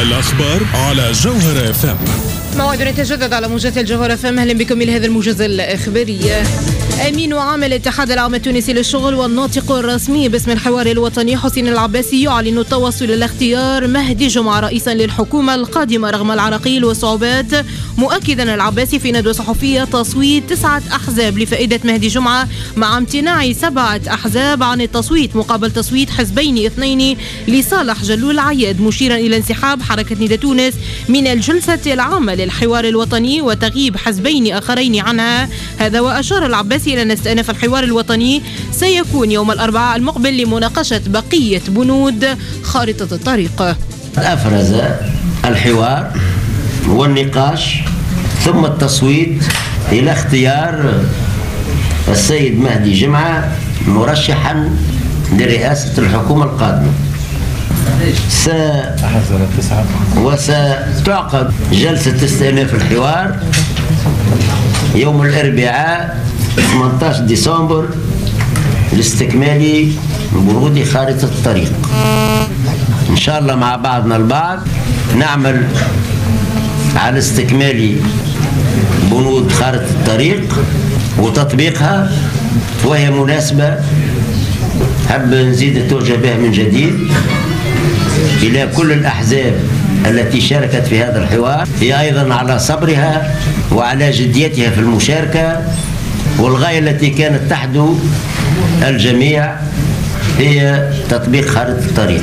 الأخبار على جوهرة FM. موعد يتجدد على موجات الجوهرة FM. أهلا بكم إلى هذا الموجز الإخباري. أمين عام الاتحاد العام التونسي للشغل والناطق الرسمي باسم الحوار الوطني حسين العباسي يعلن التوصل إلى اختيار مهدي جمعة رئيسا للحكومة القادمة رغم العراقيل والصعوبات، مؤكدا العباسي في ندوة صحفية تصويت 9 أحزاب لفائدة مهدي جمعة مع امتناع 7 أحزاب عن التصويت مقابل تصويت حزبين 2 لصالح جلول عياد، مشيرا إلى انسحاب حركة نداء تونس من الجلسة العامة للحوار الوطني وتغيب حزبين آخرين عنها. هذا وأشار العباسي إلى أن استئناف الحوار الوطني سيكون يوم الأربعاء المقبل لمناقشة بقية بنود خارطة الطريق. أفرز الحوار والنقاش ثم التصويت إلى اختيار السيد مهدي جمعة مرشحا لرئاسة الحكومة القادمة. وستعقد جلسة استئناف الحوار يوم الأربعاء 18 ديسمبر لاستكمال بنود خارطة الطريق. إن شاء الله مع بعضنا البعض نعمل على استكمال بنود خارطة الطريق وتطبيقها، وهي مناسبة حب نزيد التوجه بها من جديد إلى كل الأحزاب التي شاركت في هذا الحوار، هي أيضا على صبرها وعلى جديتها في المشاركة، والغاية التي كانت تحدو الجميع هي تطبيق خارطة الطريق.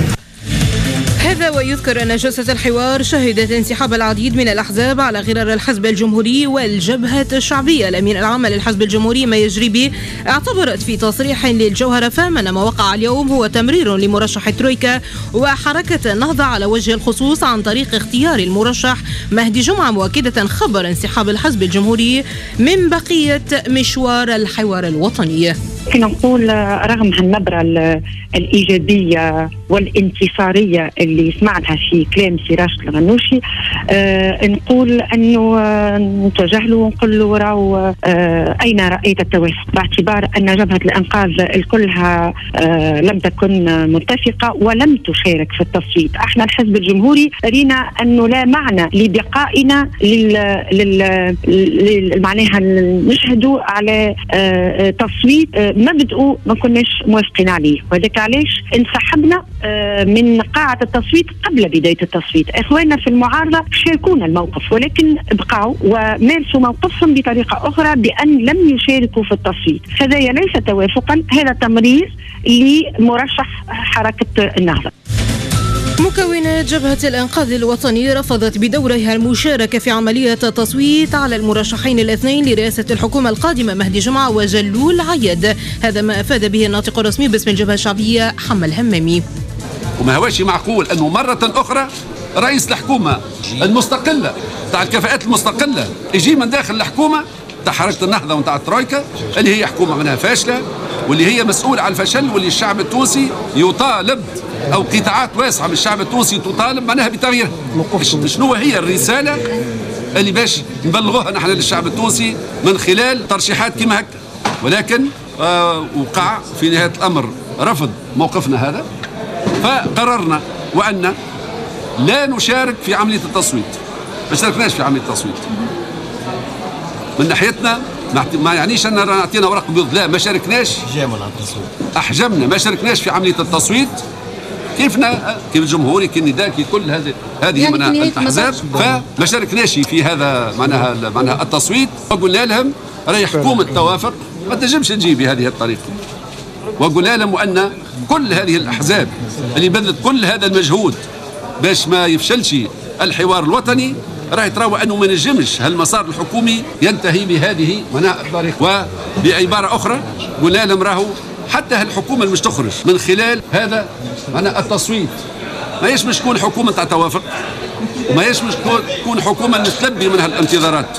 هذا ويذكر أن جلسة الحوار شهدت انسحاب العديد من الأحزاب على غرار الحزب الجمهوري والجبهة الشعبية. الأمين العام للحزب الجمهوري ما يجري اعتبرت في تصريح للجوهرة فام أن ما وقع اليوم هو تمرير لمرشح الترويكا وحركة النهضة على وجه الخصوص عن طريق اختيار المرشح مهدي جمعة، مؤكدة خبر انسحاب الحزب الجمهوري من بقية مشوار الحوار الوطني. كنا نقول رغم هالنبرة الإيجابية والانتصارية اللي سمعناها في كلام سي راشد الغنوشي، نقول أنه نتوجه له ونقول له راهو أين رأيت التوافق، باعتبار أن جبهة الإنقاذ كلها لم تكن متفقة ولم تشارك في التصويت. احنا الحزب الجمهوري رينا أنه لا معنى لبقائنا معناها نشهدوا على تصويت مبدأه ما كناش موافقين عليه، وهذاك علاش انسحبنا من قاعة التصويت قبل بداية التصويت. إخواننا في المعارضة شاركونا الموقف، ولكن بقوا ومارسوا موقفهم بطريقة أخرى بأن لم يشاركوا في التصويت. هذا ليس توافقا، هذا تمرير لمرشح حركة النهضة. مكونات جبهة الإنقاذ الوطني رفضت بدورها المشاركة في عملية التصويت على المرشحين الاثنين لرئاسة الحكومة القادمة مهدي جمعة وجلول عياد. هذا ما أفاد به الناطق الرسمي باسم الجبهة الشعبية حمى الهمامي. وما هواش معقول أنه مرة أخرى رئيس الحكومة المستقلة تاع الكفاءات المستقلة يجي من داخل الحكومة تاع حركة النهضة وتاع الترويكا اللي هي حكومة منها فاشلة واللي هي مسؤولة على الفشل، واللي الشعب التونسي يطالب أو قطاعات واسعة من الشعب التونسي تطالب معناها بتغييرها. شنو هي الرسالة اللي باش نبلغوها نحن للشعب التونسي من خلال ترشيحات كما هكا؟ ولكن وقع في نهاية الأمر رفض موقفنا هذا، فقررنا وأن لا نشارك في عملية التصويت. ما شاركناش في عملية التصويت من ناحيتنا، ما يعنيش أن نعطينا ورق بيض، لا ما شاركناش، أحجمنا، ما شاركناش في عملية التصويت كيفنا كيف الجمهوري كي النداء كي كل هذه يعني من الأحزاب، فما شاركناش في هذا معناها التصويت. وقلنا لهم راهي حكومة توافق ما تنجمش تجي بهذه الطريقة، وقلنا لهم أن كل هذه الأحزاب اللي بذلت كل هذا المجهود باش ما يفشلش الحوار الوطني راهي تراوى أنه ما نجمش هالمسار الحكومي ينتهي بهذه معناها الطريقة. وبعبارة أخرى قلنا لهم راهو حتى هالحكومة اللي مش تخرج من خلال هذا معناها التصويت ما هيش مش تكون حكومة تاع توافق، وما هيش مش تكون حكومة نتلبي منها الانتظارات.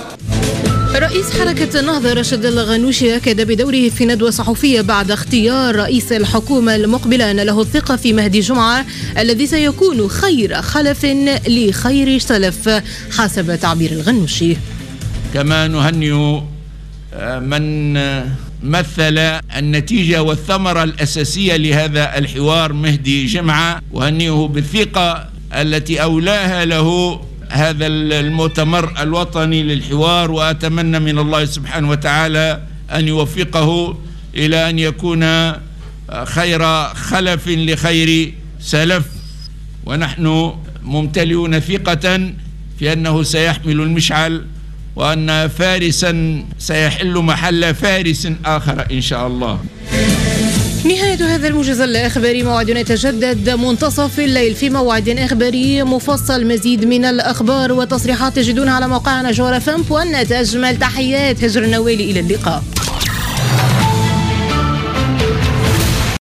رئيس حركة النهضة راشد الغنوشي أكد بدوره في ندوة صحفية بعد اختيار رئيس الحكومة المقبلة أن له الثقة في مهدي جمعة الذي سيكون خير خلف لخير سلف حسب تعبير الغنوشي. كما نهنئ من مثل النتيجة والثمرة الأساسية لهذا الحوار مهدي جمعة، وهنئه بالثقة التي أولاها له هذا المؤتمر الوطني للحوار، وأتمنى من الله سبحانه وتعالى أن يوفقه إلى أن يكون خير خلف لخير سلف، ونحن ممتلئون ثقة في أنه سيحمل المشعل، وأن فارسا سيحل محل فارس آخر إن شاء الله. نهاية هذا الموجز الإخباري، موعدنا يتجدد منتصف الليل في موعد إخباري مفصل. مزيد من الأخبار وتصريحات تجدونها على موقعنا جوهرة FM point net. أجمل تحيات هجر النوالي، إلى اللقاء.